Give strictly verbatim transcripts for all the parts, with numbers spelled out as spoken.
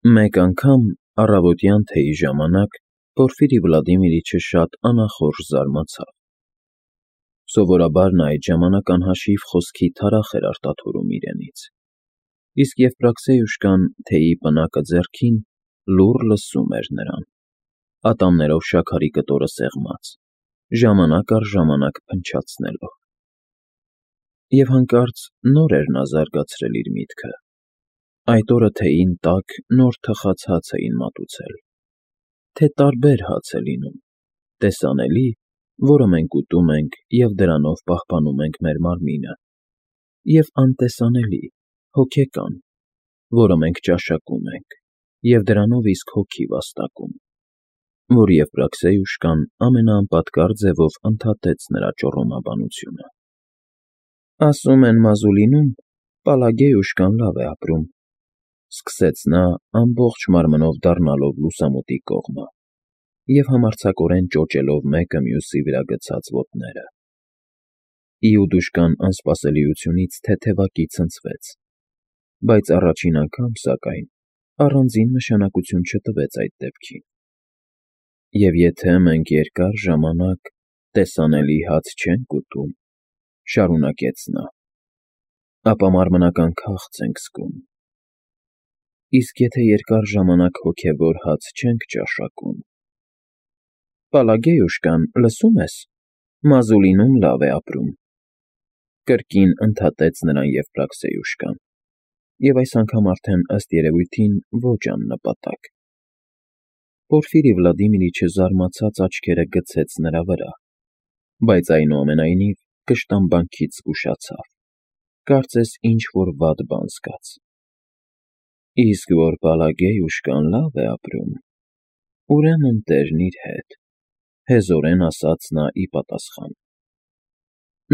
Մեկ անգամ առավոտյան թեյի ժամանակ Պորֆիրի Վլադիմիրիչը շատ անախորժ զարմացավ. սովորաբար նա այդ ժամանակ անհաշիվ խոսքի թարախ էր արտաթորում իրենից, իսկ Եվպրաքսեյուշկան, թեյի պնակը ձեռքին, լուռ լսում էր նրան, ատամներով շաքարի կտորը սեղմած, ժամանակ առ ժամանակ փնչացնելով։ Եվ հանկարծ նոր էր նա զարգացրել իր միտքը. այդ օրը թեյին տաք նոր թխած հաց էին մատուցել, թե տարբեր հաց է լինում, տեսանելի, որը մենք ուտում ենք և դրանով պահպանում ենք մեր մարմինը, և անտեսանելի, հոգեկան, որը մենք ճաշակում ենք և դրանով իսկ հոգի վաստակում, որ Եվպրաքսեյուշկան ամենաանպատկար ձևով ընդհատեց նրա ճոռոմաբանությունը։ Ասում են Մազուլինում Պալագեյուշկան լավ է ապրում, սկսեց նա ամբողջ մարմնով դառնալով լուսամուտի կողմը և համարձակորեն ճոճելով մեկը մյուսի վրա գցած ոտները։ Իուդուշկան անսպասելիությունից թեթևակի ցնցվեց, բայց առաջին անգամ, սակայն, առանձին նշանակություն չտվեց այդ դեպքին։ Եվ եթե մենք երկար ժամանակ տեսանելի հաց չենք ուտում, շարունակեց նա, ապա մարմնական քաղց ենք զգում, իսկ եթե երկար ժամանակ հոգևոր հաց չենք ճաշակում… Պալագեյուշկան, լսո՞ւմ ես, Մազուլինում լավ է ապրում, կրկին ընդհատեց նրան Եվպրաքսեյուշկան, և այս անգամ արդեն, ըստ երևույթին, ոչ աննպատակ։ Պորֆիրի Վլադիմիրիչը զարմացած աչքերը գցեց նրա վրա, բայց այնուամենայնիվ կշտամբանքից զգուշացավ, կարծես ինչ֊որ վատ բան զգաց։ Իսկ որ Պալագեյուշկան լավ է ապրում, ուրեմն տերն իր հետ, հեզորեն ասաց նա ի պատասխան։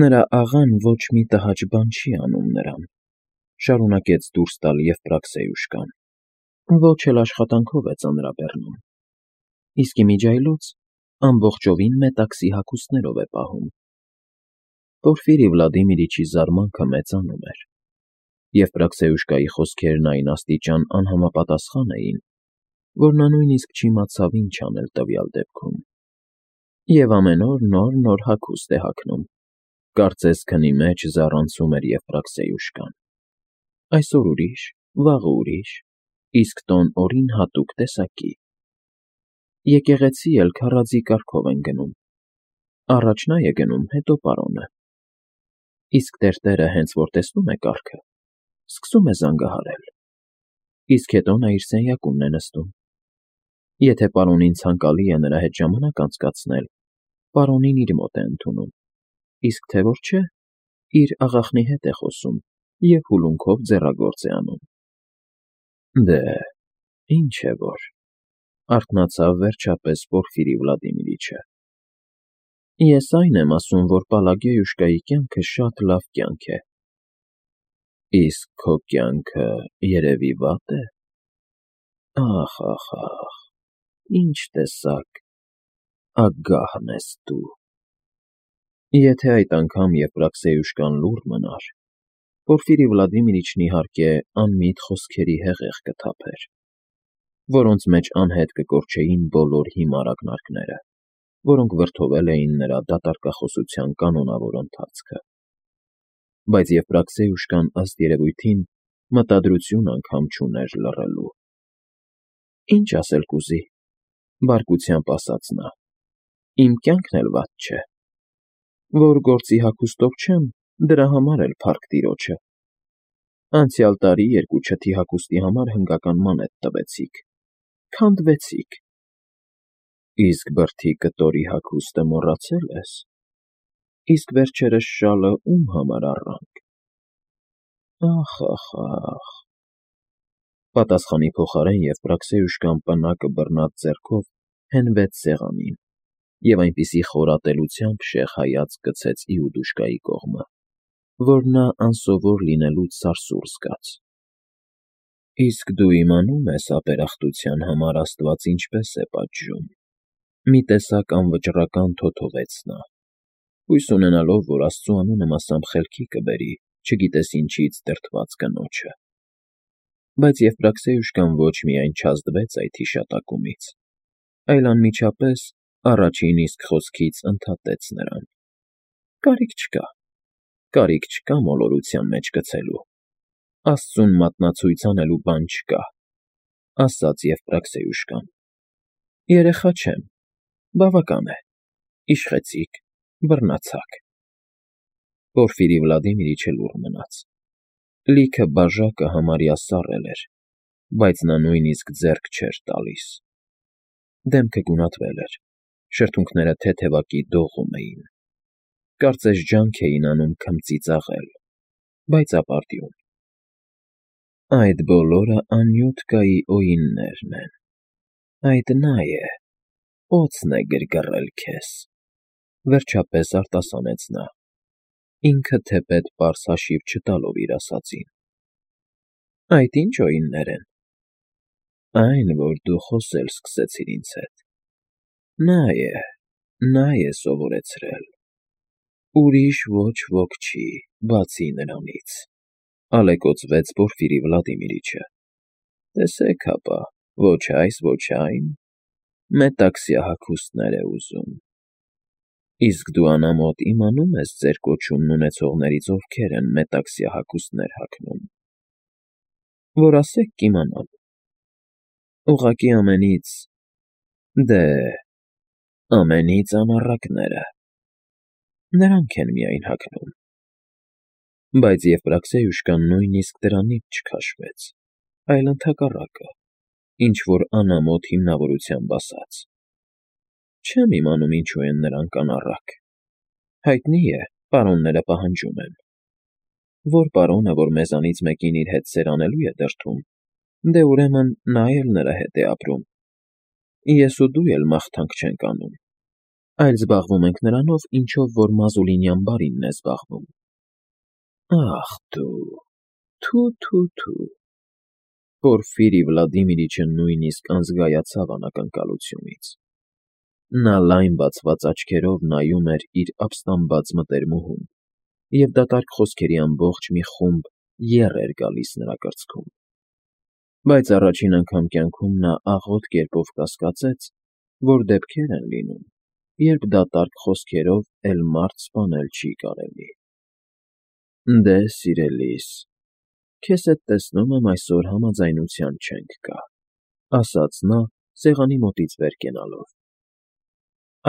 Նրա աղան ոչ մի տհաճ բան չի անում նրան, շարունակեց դուրս տալ Եվպրաքսեյուշկան, ոչ էլ աշխատանքով է ծանրաբեռնում, իսկ ի միջիայլոց ամբողջովին մետաքսի հագուստներով է պահում։ Պորֆիրի Վլադիմիրիչի զարմանքը մեծանում էր։ Եվպրաքսեյուշկայի խոսքերն այն աստիճան անհամապատասխան էին, որ նա նույնիսկ չիմացավ ինչ անել տվյալ դեպքում։ Եվ ամեն օր նոր֊նոր հագուստ է հագնում, կարծես քնի մեջ զառանցում էր Եվպրաքսեյուշկան։ Այսօր ուրիշ, վաղը ուրիշ, իսկ տոն օրին հատուկ տեսակի։ Եկեղեցի էլ քառաձի կարգով են գնում, առաջ նա է գնում, հետո պարոնը։ Իսկ տերտերը հենց որ տեսնում է կարգը, սկսում է զանգահարել, իսկ հետո նա իր սենյակումն է նստում։ Եթե պարոնին ցանկալի է նրա հետ ժամանակ անցկացնել, պարոնին իր մոտ է ընդունում, իսկ թե որ չէ, իր աղախնի հետ է խոսում և հուլունքով ձեռագործ է անում։ Դե, ինչ է որ, արթնացավ վերջապես Պորֆիրի Վլադիմիրիչը։ Ես այն եմ ասում, որ Պալագեյուշկայի կյանքը շատ լավ կյանք է։ Իսկ քո կյանքը, երևի, վատ է։ Ախ, ախ, ախ, ինչ տեսակ, ագահն ես դու… Եթե այդ անգամ Եվպրաքսեյուշկան լուռ մնար, Պորֆիրի Վլադիմիրիչն, իհարկե, անմիտ խոսքերի հեղեղ կթափեր, որոնց մեջ անհետ կկորչեին բոլոր հիմար ակնարկները, որոնք վրդովել էին նրա դատարկախոսության կանոնավոր ընթացքը։ Բայց Եվպրաքսեյուշկան, ըստ երևույթին, մտադրություն անգամ չուներ լռելու։ Ինչ ասել կուզի, բարկությամբ ասաց նա, իմ կյանքն էլ վատ չէ։ Որ գործի հագուստով չեմ, դրա համար էլ փառք տիրոջը։ Անցյալ տարի երկու չթի հագուստի համար հնգական մանեթ տվեցիք, քանդվեցիք։ Իսկ բրդի կտորի հագուստը մոռացել ես։ Իսկ վերջերս շալը ում համար առանք։ Ախ, ախ, ախ… Պատասխանի փոխարեն Եվպրաքսեյուշկան պնակը բռնած ձեռքով հենվեց սեղանին և այնպիսի խորատելությամբ շեղ հայացք գցեց Իուդուշկայի կողմը, որ նա անսովոր լինելուց սարսուռ զգաց։ Իսկ դու իմանո՞ւմ ես ապերախտության համար աստված ինչպես է պատժում, մի տեսակ անվճռական թոթովեց նա, հույս ունենալով, որ աստծու անունը մասամբ խելքի կբերի չգիտես ինչից դրդված կնոջը։ Բայց Եվպրաքսեյուշկան ոչ միայն չազդվեց այդ հիշատակումից, այլ անմիջապես առաջին իսկ խոսքից ընդհատեց նրան. «Կարիք չկա, կարիք չկա մոլորության մեջ գցելու, Աստծուն մատնացույց անելու բան չկա», ասաց Եվպրաքսեյուշկան։ «Երեխա չեմ, բավական է, իշխեցիք, բռնացաք»։ Պորֆիրի Վլադիմիրիչը լուռ մնաց։ Լիքը բաժակը համարյա սառել էր, բայց նա նույնիսկ ձեռք չէր տալիս։ Դեմքը գունատվել էր, շրթունքները թեթևակի դողում էին։ Կարծես ջանք էին անում քմծի ծաղել, բայց ապարդյուն։ «Այդ բոլորը Անյութկայի օիններն են, այդ նա է, օձն է գրգռել քեզ», վերջապես արտասանեց նա, ինքը թեպետ պարզ հաշիվ չտալով իր ասածին։ «Այդ ի՞նչ օիններ են»։ «Այն, որ դու խոսել սկսեցիր ինձ հետ։ Նա է, նա է սովորեցրել, ուրիշ ոչ ոք չի, բացի նրանից», ալեկոծվեց Պորֆիրի Վլադիմիրիչը։ «Տեսեք հապա, ոչ այս, ոչ այն, մետաքսյա հագուստներ է ուզում։ Իսկ դու անամոթ իմանում ես ձեր կոչումն ունեցողներից ովքեր են մետաքսյա հագուստներ հագնում։ Որ ասեք կիմանամ։ Ուղղակի ամենից, դե, ամենից անառակները, նրանք են միայն հագնում»։ Բայց Եվպրաքսեյուշկան նույնիսկ դրանից չքաշվեց, այլ ընդհակառակը, ինչ-որ անամոթ հիմնավորությամբ ասաց. «Չեմ իմանում ինչու են նրանք անառակ։ Հայտնի է, պարոնները պահանջում են։ Որ պարոնը, որ մեզանից մեկին իր հետ սերանելու է դրդում, դե ուրեմն նա էլ նրա հետ է ապրում։ Ես ու դու էլ մաղթանք չենք անում, այլ զբաղվում ենք նրանով, ինչով որ Մազուլինյան բարինն է զբաղվում»։ «Ախ դու, թո՛ւ֊թո՛ւ֊թո՛ւ»։ Պորֆիրի Վլադիմիրիչը նույնիսկ անզգայացավ անակնկալությունից։ Նա լայն բացված աչքերով նայում էր իր ապստամբած մտերմուհուն, և դատարկ խոսքերի ամբողջ մի խումբ եռ էր գալիս նրա կրծքում։ Բայց առաջին անգամ կյանքում նա աղոտ կերպով կասկածեց, որ դեպքեր են լինում, երբ դատարկ խոսքերով էլ մարդ սպանել չի կարելի։ «Դե, սիրելիս, քեզ հետ տեսնում եմ այսօր համաձայնության չենք գա», ասաց նա, սեղանի մոտից վեր կենալով։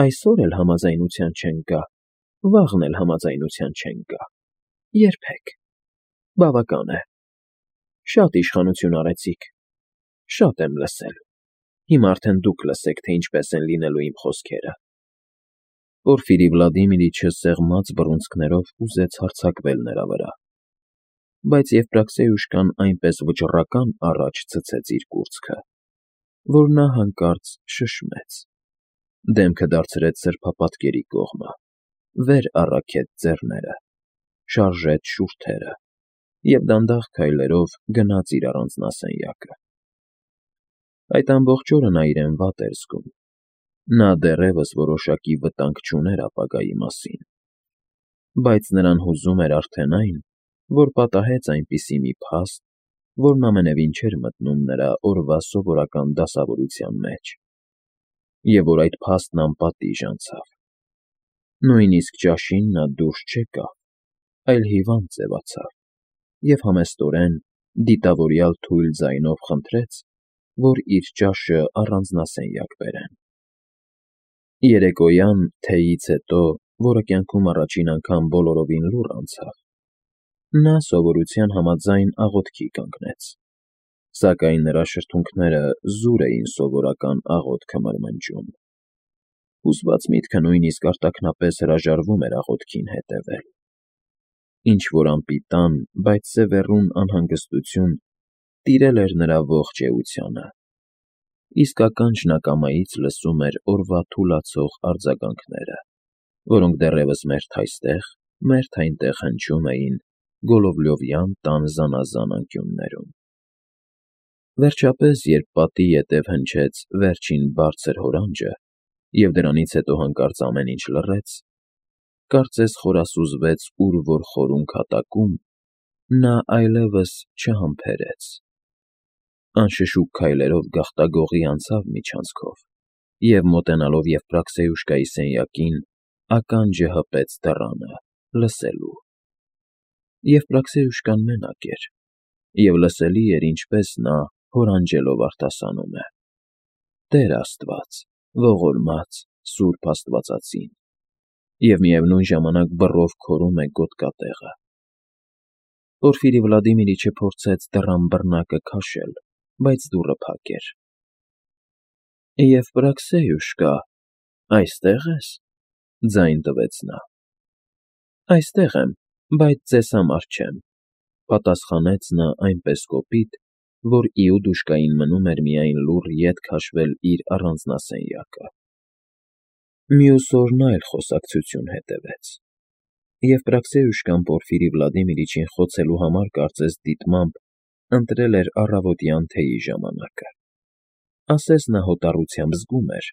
«Այսօր էլ համաձայնության չենք գա, վաղն էլ համաձայնության չենք գա, երբեք։ Բավական է։ Շատ իշխանություն արեցիք, շատ եմ լսել, հիմա արդեն դուք լսեք, թե ինչպես են լինելու իմ խոսքերը»։ Պորֆիրի Վլադիմիրիչը սեղմած բռունցքներով ուզեց հարձակվել նրա վրա, բայց Եվպրաքսեյուշկան այնպես վճռական առաջ ցցեց իր կուրծքը, որ նա հանկարծ շշմեց, դեմքը դարձրեց սրբապատկերի կողմը, վեր առաքեց ձեռները, շարժեց շուրթերը և դանդաղ քայլերով գնաց իր առանձնասենյակը։ Այդ ամբողջ օրը նա իրեն վատ էր զգում։ Նա դեռևս որոշակի վտանգ չուներ ապագայի մասին, բայց նրան հուզում էր արդեն այն, որ պատահեց այնպիսի մի փաստ, որն ամենևին չէր մտնում նրա օրվա սովորական դասավորության մեջ, և որ այդ փաստն անպատիժ անցավ։ Նույնիսկ ճաշին նա դուրս չեկավ, այլ հիվանդ ձևացավ և համեստորեն, դիտավորյալ թույլ ձայնով խնդրեց, որ իր ճաշը առանձնասենյակ բերեն։ Երեկոյան, թեյից հետո, որը կյանքում առաջին անգամ բոլորովին լուռ անցավ, նա սովորության համաձայն աղոթքի կանգնեց, սակայն նրա շրթունքները զուր էին սովորական աղոթքը մրմնջում։ Հուզված միտքը նույնիսկ արտաքնապես հրաժարվում էր աղոթքին հետևել։ Ինչ-որ անպիտան, բայց սևեռուն անհանգստություն տիրել էր նրա ողջ էությանը, իսկ ականջն ակամայից լսում էր օրվա թուլացող արձագանքները, որոնք դեռևս մերթ այստեղ, մերթ այնտեղ հնչում էին գոլովլյովյան տան զանազան անկյուններում։ Վերջապես, երբ պատի ետև հնչեց վերջին բարձր հորանջը, և դրանից հետո հանկարծ ամեն ինչ լռեց, կարծես խորասուզվեց ուր որ խորուն քատակում, նա այլևս չհամբերեց, Անշշուկ քայլերով գաղտագողի անցավ միջանցքով և, մոտենալով Եվպրաքսեյուշկայի սենյակին, ականջը հպեց դռանը, լսելու։ Եվպրաքսեյուշկան մենակ էր, և լսելի էր, ինչպես նա հորանջելով արտասանում է. «Տեր Աստված, ողորմած, սուրբ աստվածածին», և միևնույն ժամանակ բռով քորում է գոտկատեղը։ Պորֆիրի Վլադիմիրիչը փորձեց դռան բռնակը քաշել, բայց դուռը փակ էր։ «Եվպրաքսեյուշկա, այստե՞ղ ես», ձայն տվեց նա։ «Այստեղ եմ, բայց ձեզ համար չեմ», պատասխանեց նա այնպես կոպիտ, որ Իուդուշկային մնում էր միայն լուռ ետ քաշել իր առանձնասենյակը։ Մյուս օրն այլ խոսակցություն հետևեց։ Եվպրաքսեյուշկան Պորֆիրի Վլադիմիրիչին խոցելու համար կարծես դիտմամբ ընտրել էր առավոտյան թեյի ժամանակը։ Ասես նա հոտառությամբ զգում էր,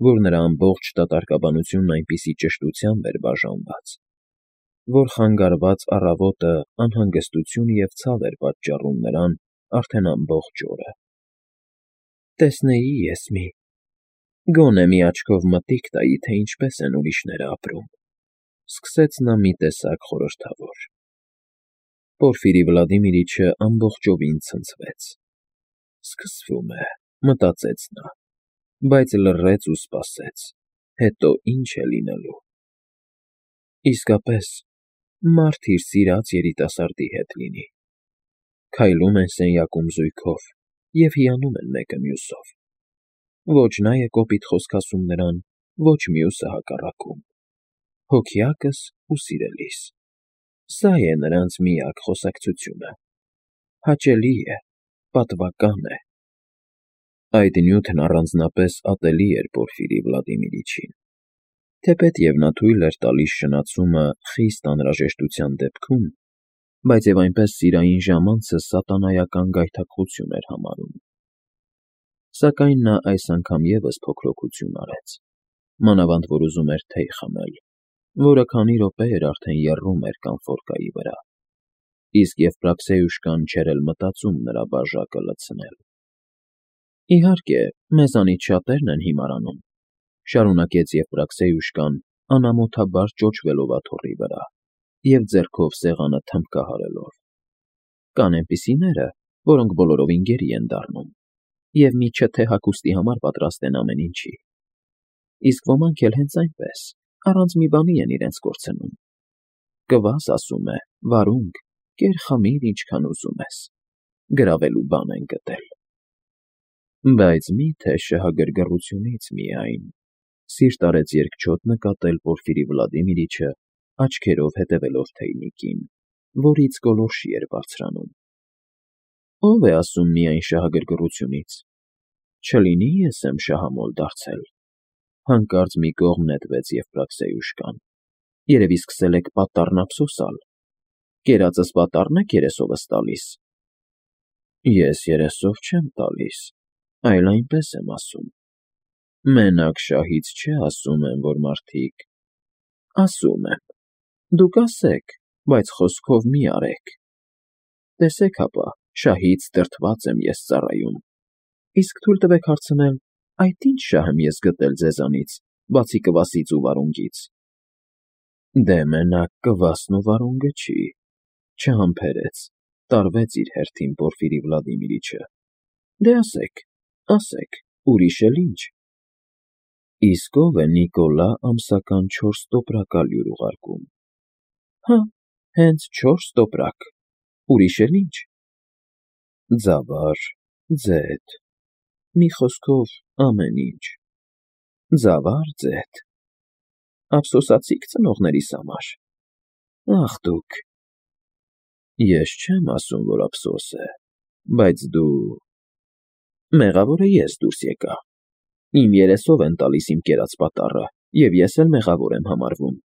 որ նրա ամբողջ դատարկաբանությունն այնպիսի ճշտությամբ էր բաժանված, որ խանգարված առավոտը անհանգստություն և ցավ էր պատճառում նրան արդեն ամբողջ օրը։ «Տեսնեի ես մի, գոնե մի աչքով մտիկ տայի, թե ինչպես են ուրիշները ապրում», սկսեց նա մի տեսակ խորհրդավոր։ Պորֆիրի Վլադիմիրիչը ամբողջովին ցնցվեց։ «Սկսվում է», մտածեց նա, բայց լռեց ու սպասեց, հետո ինչ է լինելու։ Իսկապես, մարդ իր սիրած երիտասարդի հետ լինի։ Քայլում են սենյակում զույգով և հիանում են մեկը մյուսով։ Ոչ նա է կոպիտ խոսք ասում նրան, ոչ մյուսը հակառակում։ Հոգյակս ու սիրելիս։ Սա է նրանց միակ խոսակցությունը։ Հաճելի է, պատվական է։ Այդ նյութն առանձնապես ատելի էր Պորֆիրի Վլադիմիրիչին, թեպետև նա թույլ էր տալիս շնացումը խիստ անհրաժեշտության դեպքում, բայց և այնպես սիրային ժամանցը սատանայական գայթակղություն էր համարում։ Սակայն նա այս անգամ ևս փոքրոքություն արեց, մանավանդ որ ուզում էր թեյ խմել, որը քանի րոպե էր արդեն եռում էր կանֆորկայի վրա, իսկ Եվպրաքսեյուշկան չէր էլ մտածում նրա բաժակը լցնել։ «Իհարկե, մեզանից շատերն են հիմարանում», շարունակեց Եվպրաքսեյուշկան անամոթաբար ճոճվելով աթոռի վրա և ձեռքով սեղանը թմբկահարելով։ «Կան էնպիսիները, որոնք բոլորովին գերի են դառնում և մի չթե հագուստի համար պատրաստ են ամեն ինչի։ Իսկ ոմանք էլ հենց այնպես, առանց մի բանի են իրենց կորցնում։ Կվաս, ասում է, վարունգ, կեր խմիր, ինչքան ուզում ես, գրավելու բան են գտել։ Բայց մի՞թե շահագրգռությունից միայն», սիրտ արեց երկչոտ նկատել Պորֆիրի Վլադիմիրիչը, աչքերով հետևելով թեյնիկին, որից գոլորշի էր բարձրանում։ «Ո՞վ է ասում միայն շահագրգռությունից։ Չլինի՞ ես եմ շահամոլ դարձել», հանկարծ մի կողմ նետվեց Եվպրաքսեյուշկան։ «Երևի սկսել եք պատառն ափսոսալ։ Կերածս պատառն եք երեսովս տալիս»։ «Ես երեսով չեմ տալիս, այլ այնպես եմ ասում։ Մենակ շահից չէ ասում եմ, որ մարդիկ… Ասում եմ, դուք ասեք, բայց խոսքով մի արեք։ Տեսեք հապա, շահից դրդված եմ ես ծառայում, իսկ թույլ տվեք հարցնել, այդ ի՞նչ շահ եմ ես գտել ձեզանից, բացի կվասից ու վարունգից»։ «Դե մենակ կվասն ու վարունգը չի…» չհամբերեց, տարվեց իր հերթին Պորֆիրի Վլադիմիրիչը։ «Դե ասեք, ասեք, ուրիշ էլ ի՞նչ»։ «Իսկ ո՞վ է Նիկոլա ամսական չորս տոպրակ ալյուր ուղարկում»։ «Հը, հենց չորս տոպրակ, ուրիշ էլ ի՞նչ»։ «Ձավար, ձեթ, մի խոսքով ամեն ինչ։ Ձավար, ձեթ… Ափսոսացի՞ք ծնողներիս համար։ Ախ դուք… Ես չեմ ասում, որ ափսոս է, բայց դու… Մեղավորը ես դուրս եկա։ Իմ երեսով են տալիս իմ կերած պատառը, և ես էլ մեղավոր եմ համարվում»։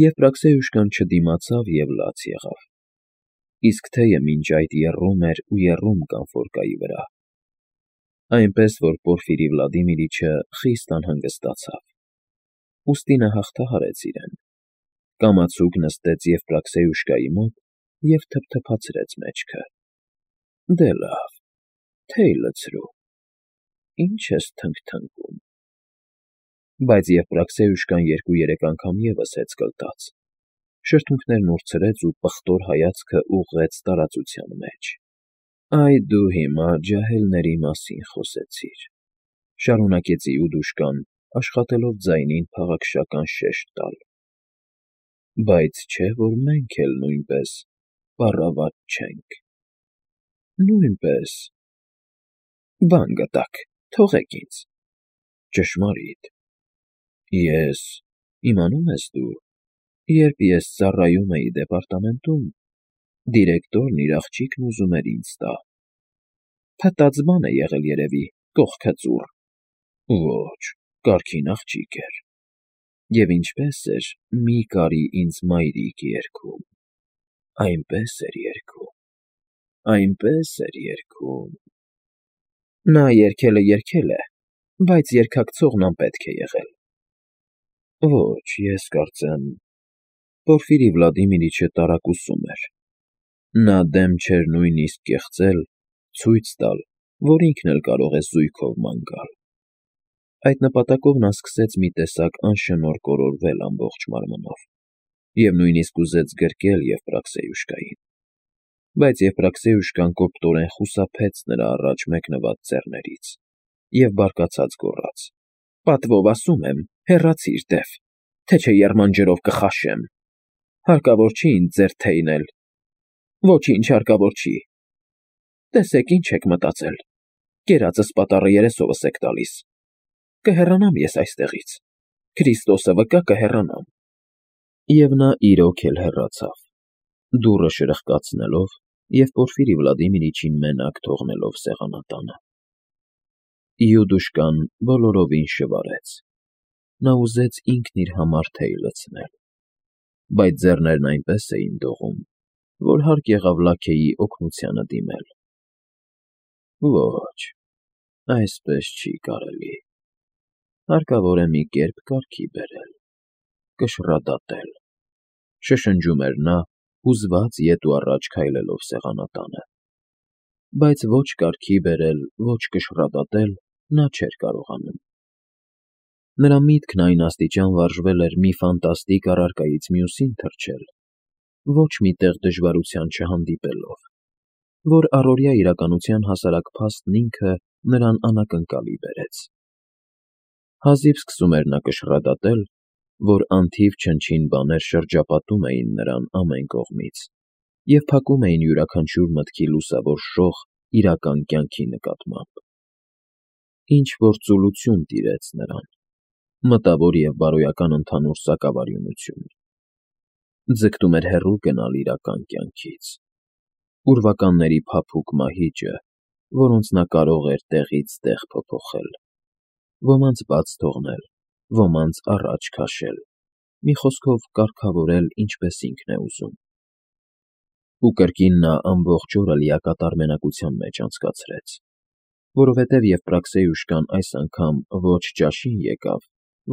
Եվպրաքսեյուշկան չդիմացավ և լաց եղավ, իսկ թեյը մինչ այդ եռում էր ու եռում կանֆորկայի վրա, այնպես որ Պորֆիրի Վլադիմիրիչը խիստ անհանգստացավ։ Ուստի նա հաղթահարեց իրեն, կամացուկ նստեց Եվպրաքսեյուշկայի մոտ և թփթփացրեց մեջքը։ «Դե լավ, թեյ լցրու, ինչ ես թնգթնգում։ Բայց Եվպրաքսեյուշկան երկու֊երեք անգամ ևս հեծ կլտաց, շրթունքներն ուրցրեց ու պղտոր հայացքը ուղղեց տարածության մեջ։ ֊ Այ դու հիմա ջահելների մասին խոսեցիր,֊ շարունակեց Իուդուշկան, աշխատելով ձայնին փաղաքշական շեշտ տալ,֊ բայց չէ՞ որ մենք էլ նույնպես պառավատ չենք։ ֊ Նույնպես… Բան գտաք, թողեք ինձ… Ճշմարիտ… Ես… իմանում ես դու, երբ ես ծառայում էի դեպարտամենտում, դիրեկտորն իր աղջիկն ուզում էր ինձ տա… Փտած բան է եղել երևի, կողքը ծուռ… Ոչ, կարգին աղջիկ էր… Եվ ինչպես էր մի կարի ինձ մայրիկ երգում… Այնպես էր երգում… Այնպես էր երգում… Նա երգել է, երգել է, բայց երգակցողն անպետք է եղել… Ոչ, ես կարծեմ… Պորֆիրի Վլադիմիրիչը տարակուսում էր… Նա դեմ չէր նույնիսկ կեղծել, ցույց տալ, որ ինքն էլ կարող է զույգով ման գալ… Այդ նպատակով նա սկսեց մի տեսակ անշնորհ կորորվել ամբողջ մարմնով և նույնիսկ ուզեց գրկել Եվպրաքսեյուշկային… Բայց Եվպրաքսեյուշկան կոպտորեն խուսափեց նրա առաջ մեկնված ձեռներից և բարկացած գոռաց. Պատվով ասում եմ, հեռացիր, դև, թե չէ եռման ջրով կխաշեմ… Հարկավոր չի ինձ ձեր թեյն էլ… Ոչինչ հարկավոր չի… Տեսեք, ինչ եք մտածել… Կերածս պատառը երեսովս եք տալիս… Կհեռանամ ես այստեղից… Քրիստոսը վկա, կհեռանամ… Եվ նա իրոք էլ հեռացավ, դուռը շրխկացնելով և Պորֆիրի Վլադիմիրիչին մենակ թողնելով սեղանատանը… Իուդուշկան բոլորովին շվարեց… Նա ուզեց ինքն իր համար թեյ լցնել… Բայց ձեռներն այնպես էին դողում, որ հարկ եղավ լաքեի օգնությանը դիմել… Ոչ, այսպես չի կարելի… Հարկավոր է մի կերպ կարգի բերել… Կշռադատել… Շշնջում էր նա, հուզված ետ ու առաջ քայլելով սեղանատանը… Բայց ոչ կարգի բերել, ոչ կշռադատել նա չէր կարողանում… Նրա միտքն այն աստիճան վարժվել էր մի ֆանտաստիկ առարկայից մյուսին թռչել, ոչ մի տեղ դժվարության չհանդիպելով, որ առօրյա իրականության հասարակ փաստն ինքը նրան անակնկալի բերեց… Հազիվ սկսում էր նա կշռադատել, որ անթիվ չնչին բաներ շրջապատում էին նրան ամեն կողմից և փակում էին յուրաքանչյուր մտքի լուսավոր շող իրական կյանքի նկատմամբ… Ինչ֊որ ծուլություն տիրեց նրան, մտավոր և բարոյական ընդհանուր սակավարյունություն… Ձգտում էր հեռու գնալ իրական կյանքից… Ուրվականների փափուկ մահիճը, որոնց նա կարող էր տեղից տեղ փոփոխել… Ոմանց բաց թողնել, ոմանց առաջ քաշել, մի խոսքով կարգավորել ինչպես ինքն է ուզում… Ու կրկին նա ամբողջ օրը լիակատար մենակության մեջ անցկացրեց, որովհետև Եվպրաքսեյուշկան այս անգամ ոչ ճաշին եկավ,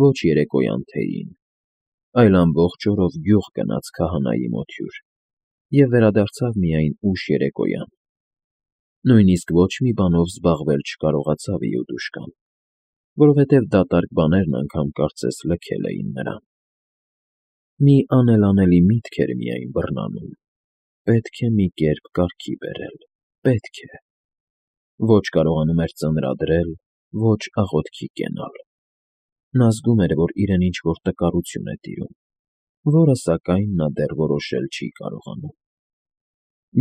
ոչ երեկոյան թեյին, այլ ամբողջ օրով գյուղ գնաց քահանայի մոտ հյուր և վերադարձավ միայն ուշ երեկոյան… Նույնիսկ ոչ մի բանով զբաղվել չկարողացավ Իուդուշկան, որովհետև դատարկ բաներն անգամ կարծես լքել էին նրան… Մի անելանելի միտք էր միայն բռնանում. պետք է մի կերպ կարգի բերել, պետք է… Ոչ կարողանում էր ծնրադրել, ոչ աղոթքի կենալ… Նա զգում էր, որ իրեն ինչ֊որ տկարություն է տիրում, որը, սակայն, նա դեռ որոշել չի կարողանում…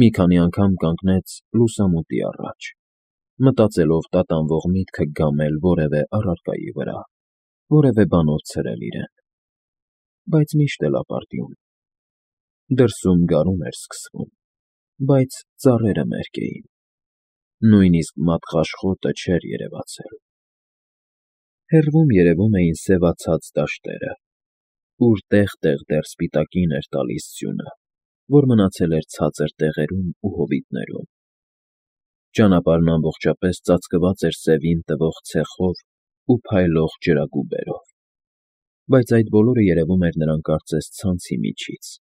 Մի քանի անգամ կանգնեց լուսամուտի առաջ, մտածելով տատանվող միտքը գամել որևէ առարկայի վրա, որևէ բանով ցրել իրեն… Բայց միշտ էլ ապարդյուն… Դրսում գարուն էր սկսվում, բայց ծառերը մերկ էին, նույնիսկ մատղաշ խոտը չէր երևացել… Հեռվում երևում էին սևացած դաշտերը, ուր տեղ֊տեղ դեռ սպիտակին էր տալիս ձյունը, որ մնացել էր ցածր տեղերում ու հովիտներում… Ճանապարհն ամբողջապես ծածկված էր սևին տվող ցեխով ու փայլող ջրագուբերով… Բայց այդ բոլորը երևում էր նրան կարծես ցանցի միջից…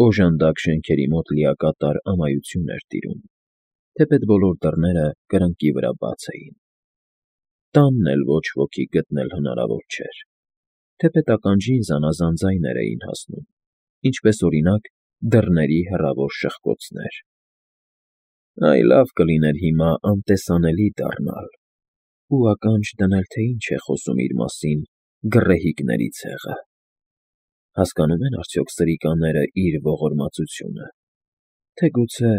Օժանդակ շենքերի մոտ լիակատար ամայություն էր տիրում, թեպետ բոլոր դռները կրկնակի վրա բաց էին։ Տանն էլ ոչ ոքի գտնել հնարավոր չէր, թեպետ ականջին զանազան ձայներ էին հասնում, ինչպես, օրինակ, դռների հեռավոր շխկոցներ։ Այ լավ կլիներ հիմա անտեսանելի դառնալ ու ականջ դնել, թե ինչ է խոսում իր մասին գռեհիկների ցեղը։ Հասկանո՞ւմ են արդյոք սրիկաները իր ողորմածությունը, թե գուցե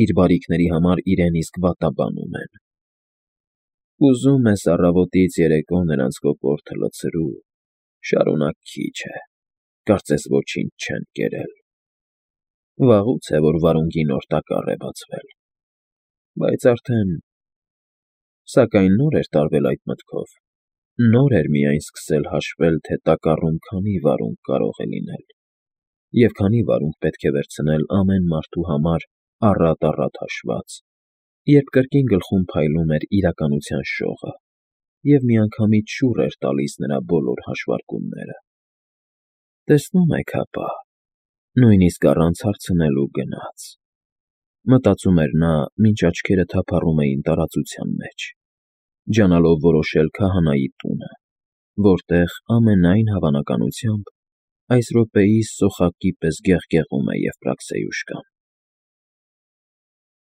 իր բարիքների համար իրեն իսկ վատաբանում են։ Ուզում ես առավոտից երեկո նրանց կոկորդը լցրու, շարունակ քիչ է, կարծես ոչինչ չեն կերել։ Վաղուց է, որ վարունգի նոր տակառ է բացվել, բայց արդեն… Սակայն նոր էր տարվել այդ մտքով, նոր էր միայն սկսել հաշվել, թե տակառում քանի վարունգ կարող է լինել, և քանի վարունգ պետք է վերցնել ամեն մարդու համար առատ֊առատ հաշված, երբ կրկին գլխում փայլում էր իրականության շողը և միանգամից շուռ էր տալիս նրա բոլոր հաշվարկումները։ «Տեսնում եք հապա, նույնիսկ առանց հարցնելու գնաց», մտածում էր նա, մինչ աչքերը թափառում էին տարածության մեջ, ջանալով որոշել քահանայի տունը, որտեղ, ամենայն հավանականությամբ, այս րոպեիս սոխակի պես գեղգեղում է Եվպրաքսեյուշկան։